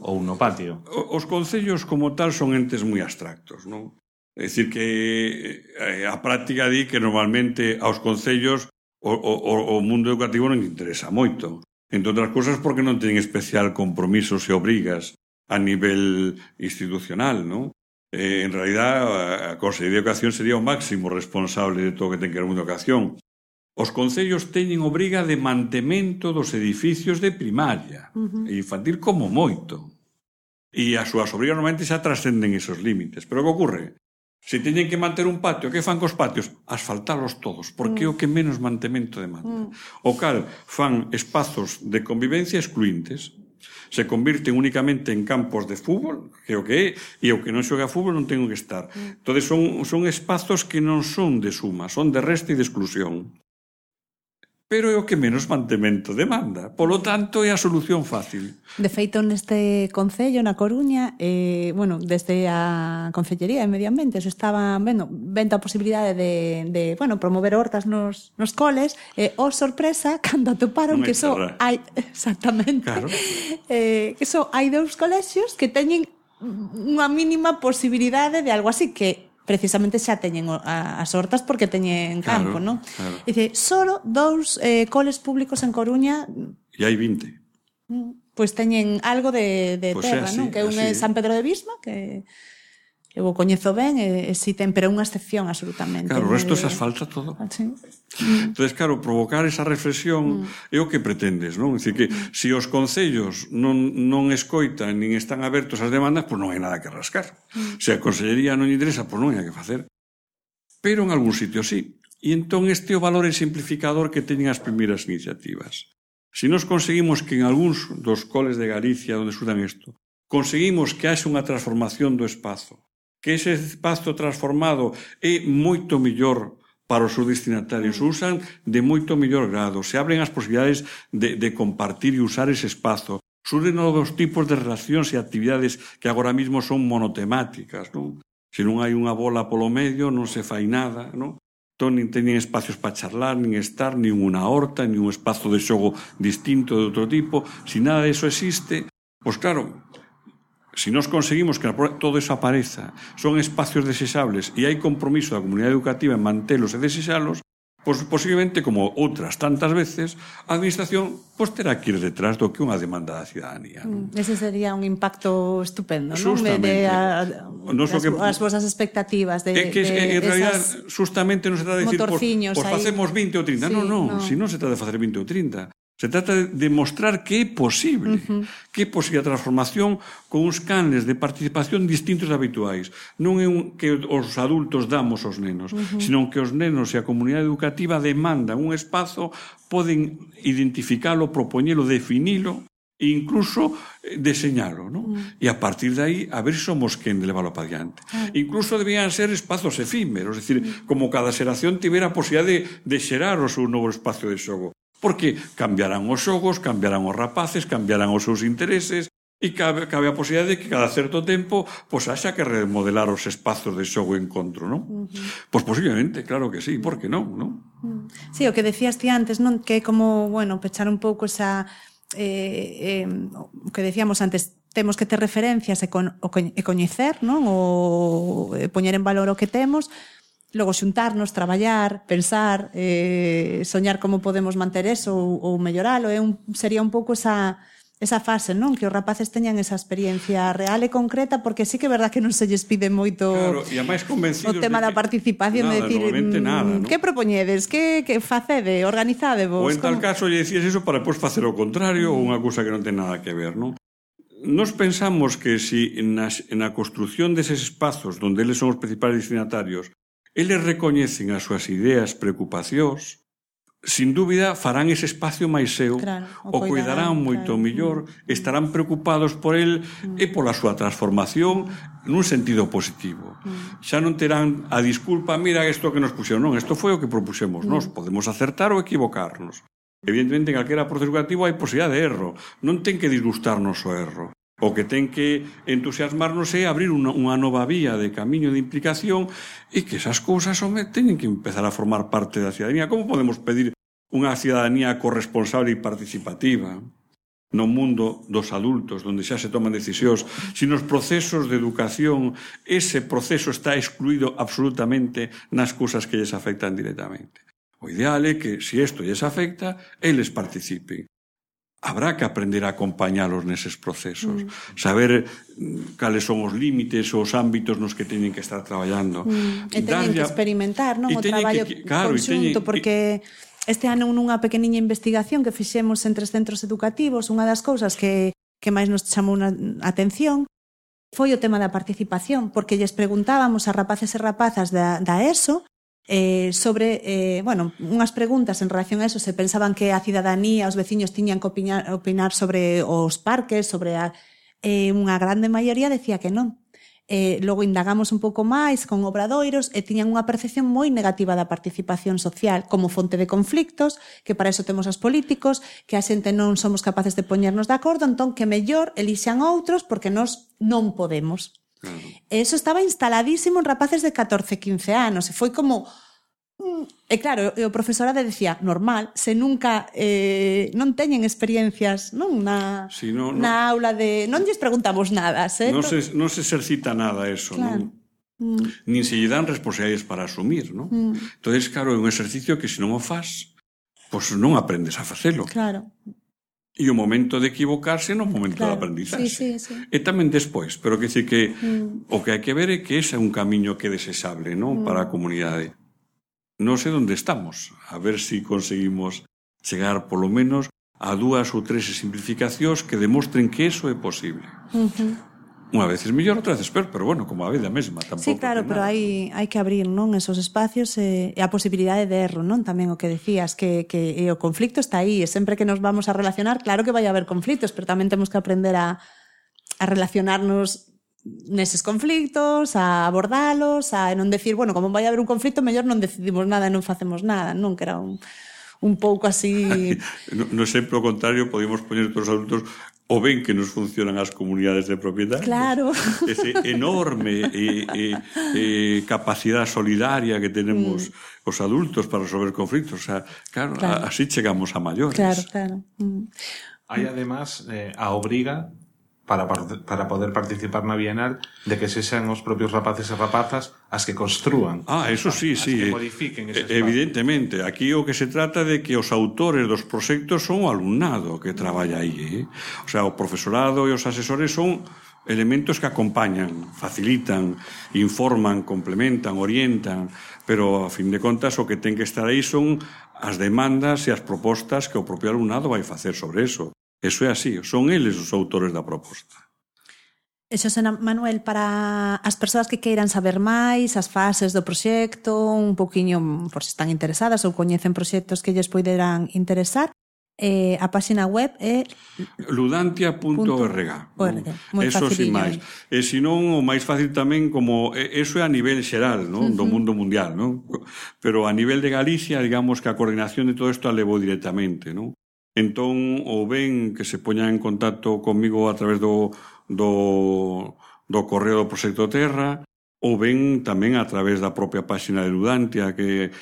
ou no patio. Os concellos como tal son entes moi abstractos, non? É dicir que a práctica di que normalmente aos concellos o mundo educativo non interesa moito. Entre outras cousas porque non teñen especial compromisos e obrigas a nivel institucional, non? En realidad, a Consellería de Educación sería o máximo responsable de todo o que ten que ver con educación. Os concellos teñen obriga de mantemento dos edificios de primaria e infantil como moito. E as súas obrigas normalmente xa trascenden esos límites. Pero que ocorre? Se teñen que manter un patio, que fan cos patios? Asfaltalos todos, porque é o que menos mantemento demanda. O cal fan espazos de convivencia excluintes. Se convirten únicamente en campos de fútbol, que é o que é, e o que non xoga fútbol non ten que estar. Entón, son espazos que non son de suma, son de resta e de exclusión. Pero é o que menos mantemento demanda. Polo tanto, é a solución fácil. De feito, neste concello, na Coruña, desde a Concellería de Medio Ambiente se estaba vendo a posibilidade de promover hortas nos coles, sorpresa, cando atoparon que só hai... Exactamente. Claro. Que só hai 2 colexios que teñen unha mínima posibilidade de algo así que precisamente xa teñen as hortas porque teñen campo, non? Claro. Dice, solo 2 coles públicos en Coruña E hai 20. pois teñen algo de Pois terra, así, non? Que un é así. San Pedro de Visma, que eu o coñezo ben, e si ten, pero é unha excepción absolutamente. Claro, o resto se asfalta todo. Sí. Entonces, claro, provocar esa reflexión é o que pretendes, non? É dicir, que se os concellos non escoitan nin están abertos ás demandas, pois non hai nada que rascar. Se a Consellería non lle interesa, pois non hai que facer. Pero en algún sitio sí. E entón este é o valor simplificador que teñen as primeiras iniciativas. Se nos conseguimos que en algúns dos coles de Galicia onde estudan isto, conseguimos que haxe unha transformación do espazo, que ese espazo transformado é moito mellor para os seus destinatarios, usan de moito mellor grado, se abren as posibilidades de compartir e usar ese espazo, surden novos tipos de relacións e actividades que agora mesmo son monotemáticas, non? Se non hai unha bola polo medio, non se fai nada, non? Entón, nin teñen espacios para charlar, nin estar, nin unha horta, nin un espazo de xogo distinto de outro tipo. Se nada disso existe, pois claro, se nos conseguimos que todo eso apareza, son espacios desexables e hai compromiso da comunidade educativa en mantelos e desexalos, pois posiblemente, como outras tantas veces, a administración pois terá que ir detrás do que unha demanda da cidadanía. Ese sería un impacto estupendo, non? Justamente. As vosas expectativas de en realidad, justamente non se trata de decir, pois facemos 20 ou 30. Non, se non se trata de facer 20 ou 30. Se trata de demostrar que é posible, que é posible a transformación con uns canles de participación distintos habituais. Non é que os adultos damos aos nenos, senón que os nenos e a comunidade educativa demandan un espazo, poden identificalo, propoñelo, definilo e incluso deseñalo, non? E a partir de aí, a ver se somos quen de leválo para diante. Incluso debían ser espazos efímeros, é dicir, como cada xeración tivera a posibilidade de xerar o seu novo espacio de xogo. Porque cambiarán os xogos, cambiarán os rapaces, cambiarán os seus intereses e cabe a posibilidade de que cada certo tempo pois haxa que remodelar os espazos de xogo e encontro, non? Pois posiblemente, claro que sí, por que non, non? Sí, o que decías ti antes, non? Que é como, bueno, pechar un pouco esa o que decíamos antes, temos que ter referencias e coñecer, non? O poñer en valor o que temos. Logo xuntarnos, traballar, pensar, soñar como podemos manter eso ou melloralo, sería un pouco esa fase, non? Que os rapaces teñan esa experiencia real e concreta, porque sí que é verdad que non se lles pide moito o tema da participación, de decir, que propoñedes, que facede, organizadevos. Ou en tal caso lle dicías iso para depois facer o contrario ou unha cousa que non ten nada que ver, non? Nos pensamos que si na construción deses espazos onde eles son os principais destinatarios eles recoñecen as súas ideas, preocupacións, sin dúbida farán ese espacio máis seu, o cuidarán moito mellor, estarán preocupados por el e pola súa transformación nun sentido positivo. Xa non terán a disculpa, mira isto que nos puxeron, non, isto foi o que propuxemos nós, podemos acertar ou equivocarnos. Evidentemente, en calquera proceso educativo hai posibilidade de erro, non ten que disgustarnos o erro. O que ten que entusiasmarnos é abrir unha nova vía de camiño de implicación e que esas cousas teñen que empezar a formar parte da cidadanía. Como podemos pedir unha cidadanía corresponsable e participativa no mundo dos adultos, onde xa se toman decisións, se nos procesos de educación ese proceso está excluído absolutamente nas cousas que lles afectan directamente? O ideal é que, se isto lles afecta, eles participen. Habrá que aprender a acompañalos neses procesos, saber cales son os límites ou os ámbitos nos que teñen que estar traballando. E teñen que experimentar, non? O traballo conxunto, porque este ano nunha pequeniña investigación que fixemos en 3 centros educativos, unha das cousas que máis nos chamou a atención foi o tema da participación, porque lles preguntábamos a rapaces e rapazas da ESO sobre, unhas preguntas en relación a eso, se pensaban que a cidadanía, os veciños tiñan que opinar sobre os parques, sobre unha grande maioría decía que non. Logo indagamos un pouco máis con obradoiros e tiñan unha percepción moi negativa da participación social como fonte de conflictos, que para eso temos os políticos, que a xente non somos capaces de poñernos de acordo, entón que mellor elixan outros porque nós non podemos. Eso estaba instaladísimo en rapaces de 14, 15 anos e foi como E claro, o profesorado decía, normal, se nunca non teñen experiencias non na aula de... Non lles preguntamos nada, certo? Non se exercita nada eso, claro. non? Nin se lle dan responsabilidades para asumir, non? Entonces, claro, é un exercicio que se non o fas, pois non aprendes a facelo. Claro. E o momento de equivocarse non é o momento de aprendizaxe. Sí. E tamén despois, pero que dice que o que hai que ver é que ese é un camiño que é desexable, non? Para a comunidade. Non sei onde estamos, a ver se conseguimos chegar polo menos a 2 ou 3 simplificacións que demostren que eso é posible. Unha vez é mellor, outra vez peor, pero bueno, como a vida mesma tampouco. Sí, claro, pero hai que abrir, non, esos espacios e a posibilidade de erro, non? Tamén o que decías, que o conflicto está aí, e sempre que nos vamos a relacionar, claro que vai haber conflictos, pero tamén temos que aprender a relacionarnos neses conflictos, a abordalos, a non decir, bueno, como vai haber un conflicto, mellor non decidimos nada e non facemos nada, non? Que era un pouco así... No exemplo contrario, podemos poñer todos os adultos o ben que nos funcionan as comunidades de propietarios. Claro. Ese enorme capacidade solidaria que tenemos os adultos para resolver conflictos. O sea, claro. Así chegamos a maiores. Claro. Hai, además, a obriga para poder participar na Bienal de que sexan os propios rapaces e rapazas as que construan. Eso sí. As que modifiquen ese espacio. Evidentemente, aquí o que se trata de que os autores dos proxectos son o alumnado que traballa aí. O sea, o profesorado e os asesores son elementos que acompañan, facilitan, informan, complementan, orientan, pero, a fin de contas, o que ten que estar aí son as demandas e as propostas que o propio alumnado vai facer sobre eso. Eso é así, son eles os autores da proposta. E Xosé Manuel, para as persoas que queiran saber máis, as fases do proxecto, un poquinho, por se están interesadas ou coñecen proxectos que lles poderán interesar, a página web é ludantia.org. Eso sin máis. E senón, o máis fácil tamén, como eso é a nivel xeral, non? Do mundo mundial, non? Pero a nivel de Galicia, digamos que a coordinación de todo isto a levou directamente, non? Entón, ou ben que se poñan en contacto comigo a través do correo do Proxecto Terra, ou ben tamén a través da propia página de Ludantia, que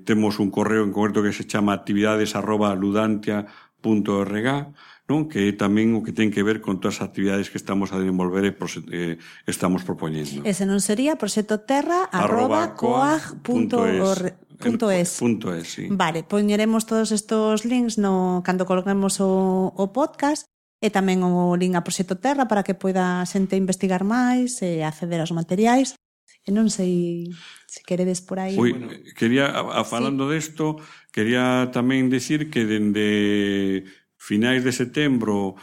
temos un correo en concreto que se chama actividades@ludantia.org, non? Que é tamén o que ten que ver con todas as actividades que estamos a desenvolver e estamos propoñendo. Ese non sería proxectoterra@coag.es. Sí. Vale, poñeremos todos estos links cando colguemos o podcast e tamén o link a Proxecto Terra para que poida a xente investigar máis e acceder aos materiais. E non sei se queredes por aí. Falando desto, quería tamén decir que dende finais de setembro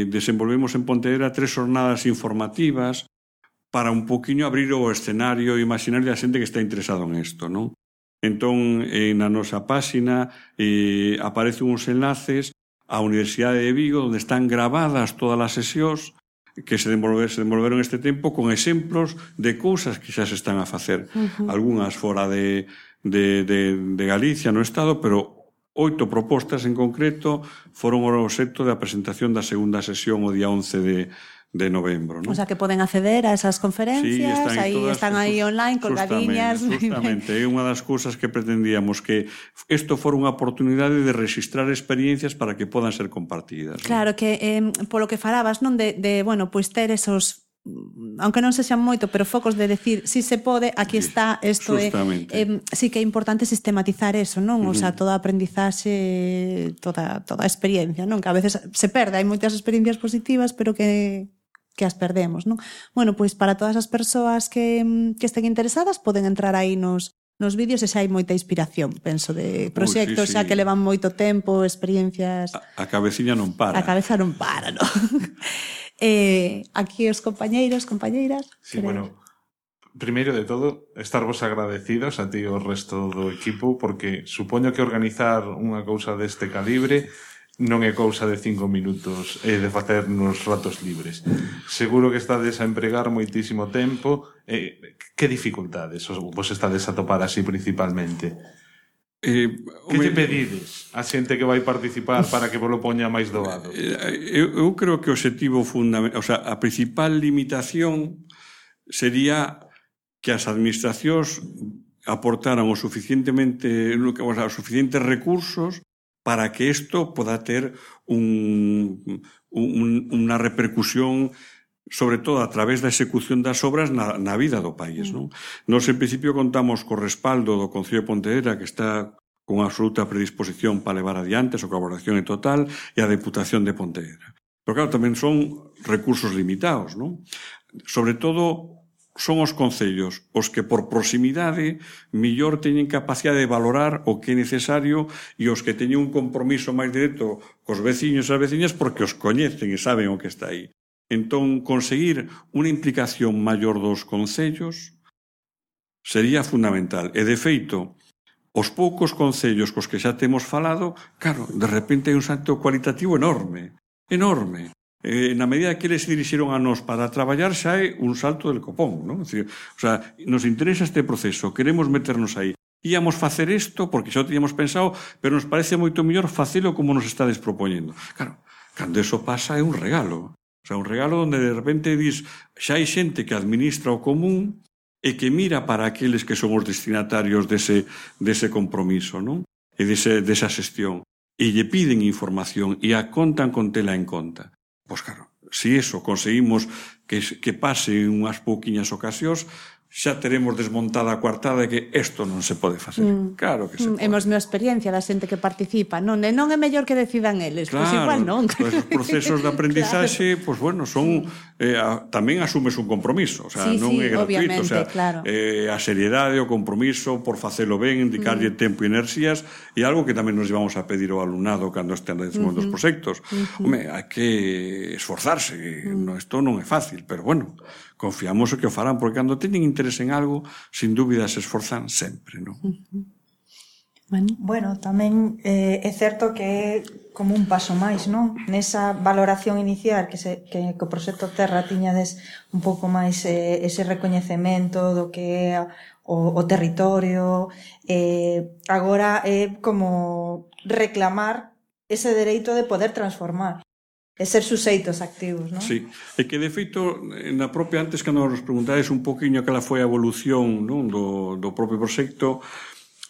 desenvolvemos en Pontevedra 3 jornadas informativas para un poquinho abrir o escenario imaginario da xente que está interesado en isto, non? Entón, na nosa páxina aparecen uns enlaces á Universidade de Vigo onde están gravadas todas as sesións que se desenvolveron este tempo con exemplos de cousas que xa se están a facer. Algúnas fora de Galicia, no Estado, pero 8 propostas en concreto foron o obxecto da presentación da segunda sesión o día 11 de novembro, ¿no? O sea, que poden acceder a esas conferencias, están aí online, colgadiñas. Justamente, é unha das cousas que pretendíamos, que isto fora unha oportunidade de registrar experiencias para que podan ser compartidas. Claro, que polo que falabas, non, de bueno, pois ter esos, aunque non sexan moito, pero focos de decir, si se pode, aquí está, isto é. Sí que é importante sistematizar eso, non? O sea, toda a aprendizaxe, toda a experiencia, non? Que a veces se perde, hai moitas experiencias positivas, pero que as perdemos, non? Bueno, pois para todas as persoas que estén interesadas poden entrar aí nos vídeos e xa hai moita inspiración, penso, de proxectos xa que levan moito tempo, experiencias... A cabeciña non para. A cabeza non para, non? Aquí os compañeiros, compañeiras... Sí, bueno, primeiro de todo, estarvos agradecidos a ti e o resto do equipo, porque supoño que organizar unha cousa deste calibre non é cousa de 5 minutos de facer nos ratos libres. Seguro que estades a empregar moitísimo tempo. Que dificultades vos estades a topar así principalmente? Que te pedides a xente que vai participar para que vos lo poña máis doado? Eu creo que o obxectivo fundamental, o sea, a principal limitación sería que as administracións aportaran os suficientes recursos para que isto poda ter unha repercusión, sobre todo a través da execución das obras na vida do país. Non? Nos, en principio, contamos co respaldo do Concello de Pontevedra, que está con absoluta predisposición para levar adiante, a súa colaboración é total, e a Deputación de Pontevedra. Pero, claro, tamén son recursos limitados, non? Sobre todo, son os concellos os que por proximidade mellor teñen capacidade de valorar o que é necesario e os que teñen un compromiso máis directo cos veciños e as veciñas porque os coñecen e saben o que está aí. Entón, conseguir unha implicación maior dos concellos sería fundamental. E, de feito, os poucos concellos cos que xa temos falado, claro, de repente hai un salto cualitativo enorme. Na medida que eles se dirixeron a nós para traballar xa é un salto del copón, non? Nos interesa este proceso, queremos meternos aí. Íamos facer isto porque xa o teníamos pensado, pero nos parece moito mellor facelo como nos estades propoñendo. Claro, cando eso pasa é un regalo. Un regalo onde de repente dis xa hai xente que administra o común e que mira para aqueles que son os destinatarios dese compromiso, non? E desa xestión. E lle piden información e a contan con tela en conta. Pois claro, se iso conseguimos que pase en unhas pouquiñas ocasións, xa teremos desmontada a coartada de que isto non se pode facer. Claro que se pode. Hemos a experiencia da xente que participa, non é mellor que decidan eles, pois igual non. Os procesos de aprendizaxe, pois bueno, son tamén asumes un compromiso, non é gratuito, a seriedade, o compromiso por facelo ben, indicarlle tempo e enerxías, e algo que tamén nos llevamos a pedir ao alumnado cando estén desenvolvendo os proxectos. Home, hai que esforzarse, isto non é fácil, pero bueno, confiamos que o farán, porque cando teñen interés en algo, sin dúbida se esforzan sempre, non? Bueno, tamén é certo que é como un paso máis, non? Nesa valoración inicial que o proxecto Terra tiñades un pouco máis ese recoñecemento do que é o territorio, agora é como reclamar ese dereito de poder transformar e ser suxeitos activos, non? Sí, e que de feito, na propia, antes cando nos preguntades un poquinho cala foi a evolución do propio proxecto,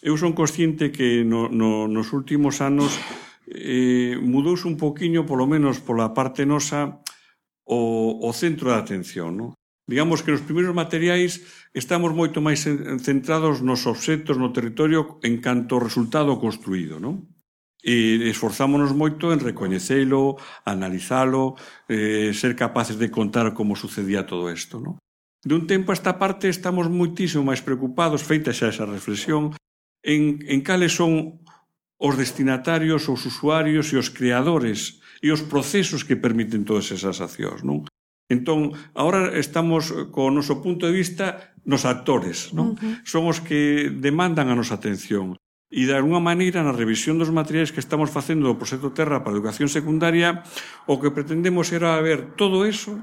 eu son consciente que nos últimos anos mudouse un poquinho, polo menos pola parte nosa, o centro de atención, non? Digamos que nos primeiros materiais estamos moito máis centrados nos obxectos, no territorio, en canto ao resultado construído, non? E esforzámonos moito en recoñecelo, analizalo, ser capaces de contar como sucedía todo isto, non? De un tempo a esta parte estamos moitísimo máis preocupados, feita xa esa reflexión, en cales son os destinatarios, os usuarios e os creadores e os procesos que permiten todas esas accións, non? Entón, agora estamos co noso punto de vista nos actores, non? Son os que demandan a nosa atención. E, de alguma maneira, na revisión dos materiais que estamos facendo do proxecto Terra para a educación secundaria, o que pretendemos era ver todo eso,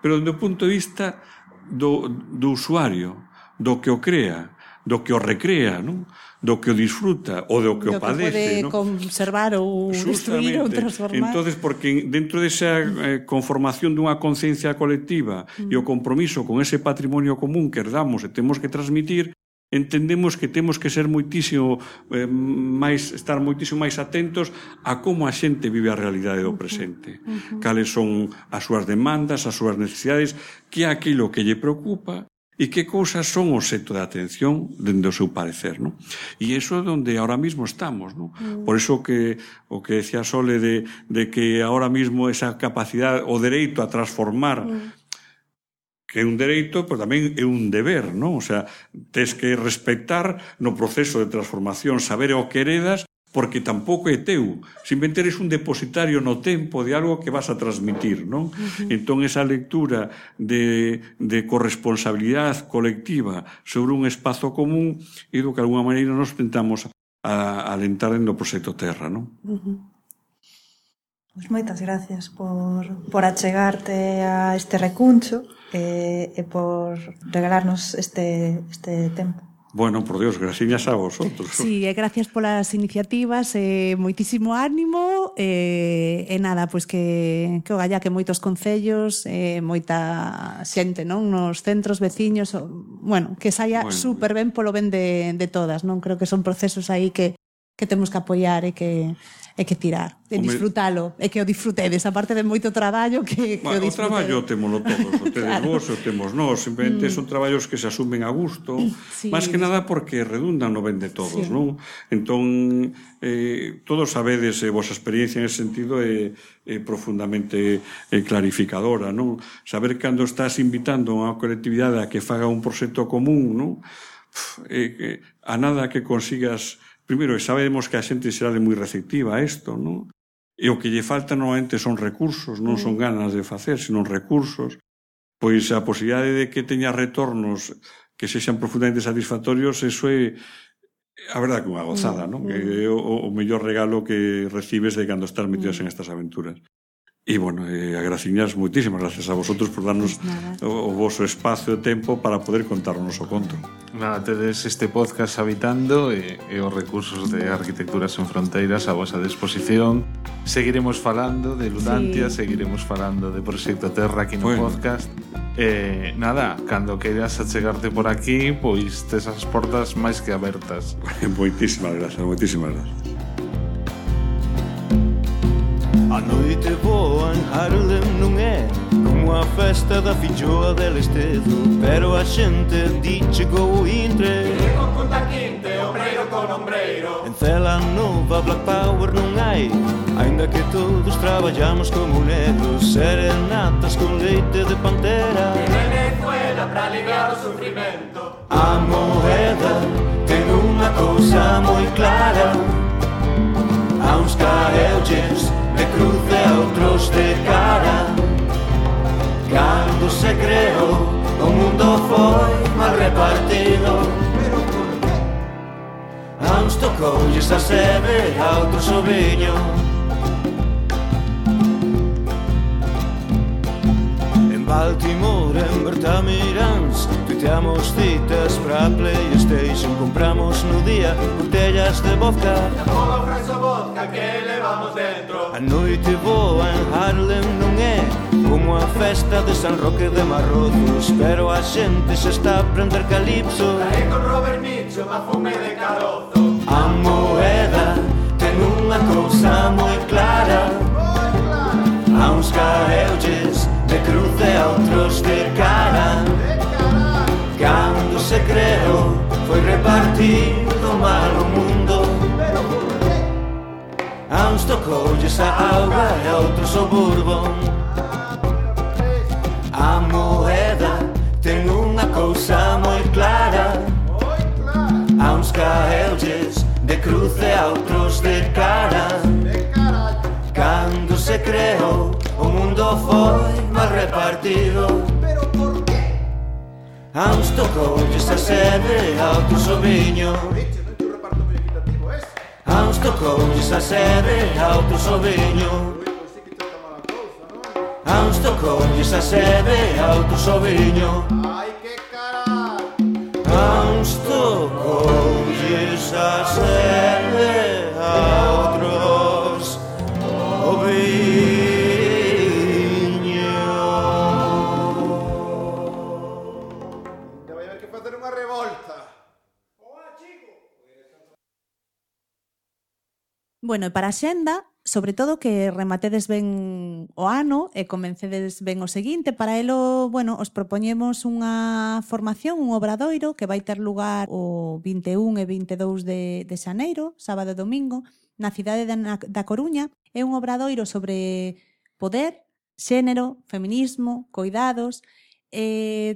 pero do punto de vista do usuario, do que o crea, do que o recrea, non? Do que o disfruta ou do que o padece, non? Do que pode conservar ou destruir ou transformar. Entonces, porque dentro desa conformación dunha conciencia colectiva e o compromiso con ese patrimonio común que herdamos e temos que transmitir, entendemos que temos que ser moitísimo estar moitísimo máis atentos a como a xente vive a realidade do presente. Cales son as súas demandas, as súas necesidades, que é aquilo que lle preocupa e que cousas son o obxecto de atención dende o seu parecer, non? E iso é onde ahora mismo estamos, non? Por iso que o que decía Sole de que ahora mismo esa capacidade, o dereito a transformar, que é un dereito, pero tamén é un deber, non? O sea, tes que respectar no proceso de transformación, saber o que heredas, porque tampouco é teu. Simplemente eres un depositario no tempo de algo que vas a transmitir, non? Entón, esa lectura de corresponsabilidade colectiva sobre un espazo común é do que, de alguma maneira, nos tentamos alentar no proxecto Terra, non? Pois moitas gracias por achegarte a este recuncho e por regalarnos este tempo. Bueno, por Dios, graciñas a vosotros. Sí, gracias polas iniciativas, moitísimo ánimo, e nada, pois que o galla que moitos concellos, moita xente, non, nos centros veciños, bueno, que saia super ben polo ben de todas, non? Creo que son procesos aí que temos que apoiar e que tirar, e disfrutalo, e que o disfrutedes, aparte de moito traballo que o disfrutedes. O traballo témolo todos, o tedes vos, o temos nós, simplemente son traballos que se asumen a gusto, máis que nada porque redundan no ben de todos, non? Entón, todos sabedes, vosa experiencia en ese sentido é profundamente clarificadora, non? Saber cando estás invitando a unha colectividade a que faga un proxecto común, non? A nada que consigas. Primeiro, sabemos que a xente será moi receptiva a isto, non? E o que lle falta normalmente son recursos, non son ganas de facer, sino recursos. Pois a posibilidade de que teña retornos que sexan profundamente satisfactorios, eso é a verdade que unha gozada, non? Que é o mellor regalo que recibes de cando estás metidos en estas aventuras. E, bueno, a graciñas, moitísimas gracias a vosotros por darnos o voso espacio e tempo para poder contar o noso conto. Nada, tedes este podcast Habitando e os recursos de Arquitecturas en Fronteiras a vosa disposición. Seguiremos falando de Ludantia, seguiremos falando de Proxecto Terra aquí no podcast. Nada, cando queiras achegarte por aquí, pois tes as portas máis que abertas. Moitísimas gracias, moitísimas gracias. A noite boa en Harlem non é como a festa da filloa del Estedo, pero a xente di chegou o intre con punta quinte, ombreiro con ombreiro. En Cela Nova Black Power non hai, ainda que todos traballamos como negros. Serenatas con leite de pantera en Venezuela pra aliviar o sufrimento. A moeda ten unha cousa moi clara, a uns caeulles de cruce a outros de cara. Cando se creou, o mundo foi mal repartido. A uns tocoulles a sebe, a outros o viño. En Baltimore, en Bertamirans, tuiteamos citas pra PlayStation. Compramos no día botellas de vodka, e a boa ofrece o vodka que levamos dentro. A noite boa en Harlem non é como a festa de San Roque de Marrozos, pero a xente se está a prender calipso. Trae con Robert Mitchum a fume de carozo. A moeda ten unha cousa moi clara, a uns caeulles de cruce a outros de cara. Cando se creou, foi repartido mal o mundo. A uns tocoulles a auga e a outros o bourbon. A moeda ten unha cousa moi clara, a uns caeulles de cruce a outros de cara. Cando se creou, o mundo foi mal repartido. A uns tocoulles a sebe, a outros o viño. A uns tocoulles a sebe, a outros o viño. A uns tocoulles a sebe, a outros o viño. A uns tocoulles a sebe, a outros o viño. Bueno, e para a xenda, sobre todo que rematedes ben o ano e comencedes ben o seguinte. Para elo, bueno, os propoñemos unha formación, un obradoiro que vai ter lugar o 21 e 22 de xaneiro, sábado e domingo, na cidade da Coruña. É un obradoiro sobre poder, xénero, feminismo, coidados.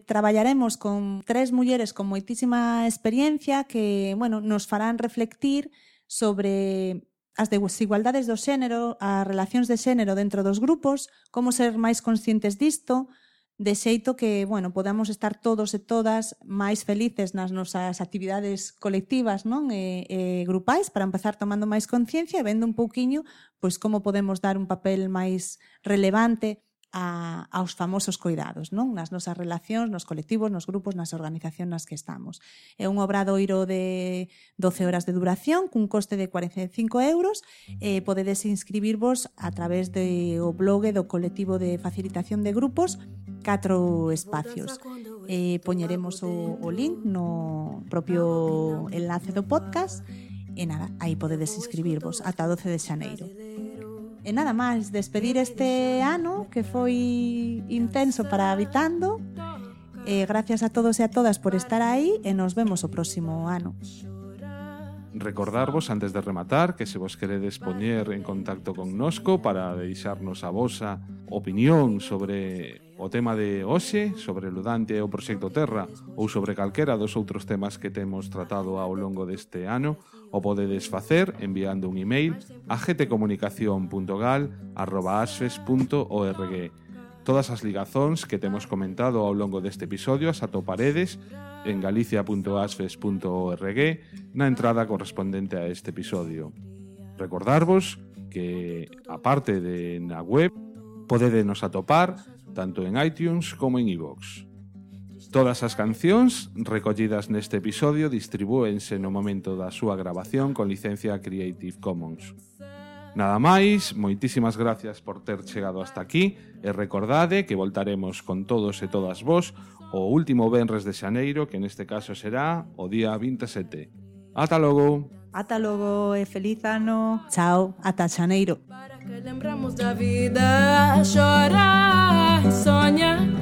Traballaremos con 3 mulleres con moitísima experiencia que, bueno, nos farán reflectir sobre as desigualdades do xénero, as relacións de xénero dentro dos grupos, como ser máis conscientes disto, de xeito que, bueno, podamos estar todos e todas máis felices nas nosas actividades colectivas, non? E grupais, para empezar tomando máis conciencia e vendo un pouquiño pois como podemos dar un papel máis relevante aos famosos coidados, non? Nas nosas relacións, nos colectivos, nos grupos, nas organizacións nas que estamos. É un obradoiro de 12 horas de duración cun coste de 45 €. Podedes inscribirvos a través do blog do colectivo de facilitación de grupos 4 espacios. Poñeremos o link no propio enlace do podcast e nada, aí podedes inscribirvos ata 12 de xaneiro. E nada máis, despedir este ano que foi intenso para Habitando. Gracias a todos e a todas por estar aí e nos vemos o próximo ano. Recordarvos, antes de rematar, que se vos queredes poñer en contacto connosco para deixarnos a vosa opinión sobre o tema de hoxe, sobre o Ludante e o Proxecto Terra, ou sobre calquera dos outros temas que temos tratado ao longo deste ano, o podedes facer enviando un email a gtcomunicacion.gal@asfes.org. Todas as ligazóns que temos comentado ao longo deste episodio as atoparedes en galicia.asfes.org na entrada correspondente a este episodio. Recordarvos que, aparte de na web, podedenos atopar tanto en iTunes como en iVoox. Todas as cancións recollidas neste episodio distribúense no momento da súa grabación con licencia Creative Commons. Nada máis, moitísimas gracias por ter chegado hasta aquí e recordade que voltaremos con todos e todas vos o último venres de xaneiro, que neste caso será o día 27. Ata logo! Ata logo e feliz ano! Chao, ata xaneiro! Para que lembramos da vida, chorar e sonhar.